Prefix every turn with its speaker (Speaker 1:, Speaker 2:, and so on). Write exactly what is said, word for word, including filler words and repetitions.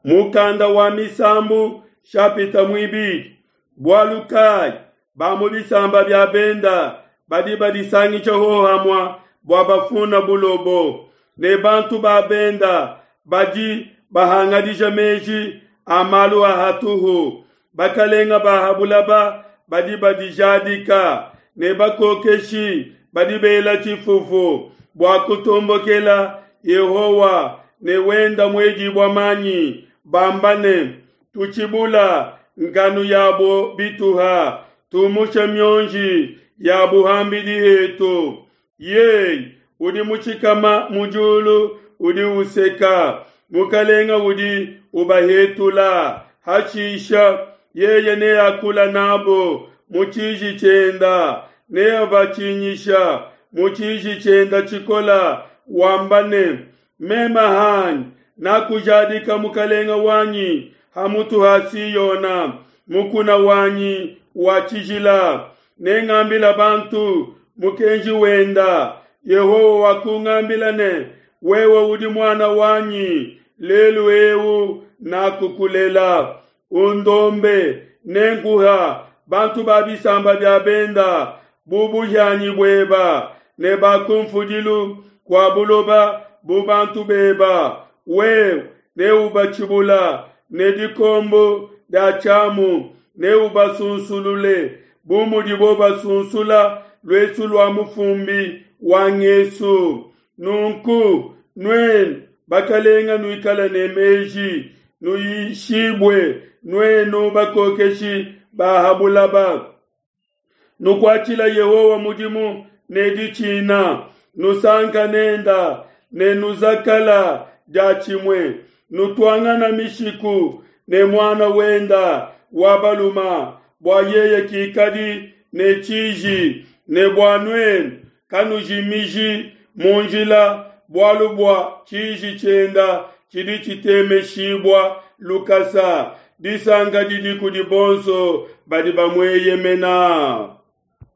Speaker 1: Mukanda wa Misambu shapita muibidi. Bualu kayi ba mu bisamba bia benda badi badisangisha hohamua bua bafuna bulobo, ne bantu ba benda badi bahangadija meji a malu a hatuhu. Bakalenga ba ha bulaba badi badijadika, ne bakokeshi badi bela tshifufu bua kutombokela Yehowa ne wenda muedibua manyi, bamba ne, tutshibula nkanu yabo bituha, tumusha mionji yabo hambidi hetu. Yeye udi mushikama mu diulu udi useka, mukalenga udi ubahetula. Hashisha yeye neakula nabo mu tshiji tshienda, neabatshinyisha mu tshiji tshienda tshikola, wamba ne, meme hanyi nakujadika mukalenga wanyi ha mutu ha Siona, mukuna wanyi wa tshijila. Nengambila bantu mukenji wenda. Yehowa wakungambila ne, wewe udi muana wanyi, lelu eu nakukulela. Undombe, nenkuha bantu ba bisamba bia benda bu buhianyi bueba, ne ba kunfudilu kua buloba bu bantu beba. Wewe neubatshibula ne dikombo dia tshiamu, neubasunsulule bu mudibo basunsula luesu lua mufumbi wa ngesu. Nunku nuenu bakalenga nuikala ne meji, nuyishibue nuenu bakokeshi ba ha bulaba. Nukuatshila Yehowa mudimu ne ditshina, nusanka nenda ne nuzakala diatshimue, nutuangana mishiku ne muana wenda wa baluma, bua yeye kikadi ne tshiji, ne bua nuenu kanujimiji mu njila, bualu bua tshiji tshienda tshidi tshitemeshibua lukasa. Disanka didi kudi bonso badi bamueyemena.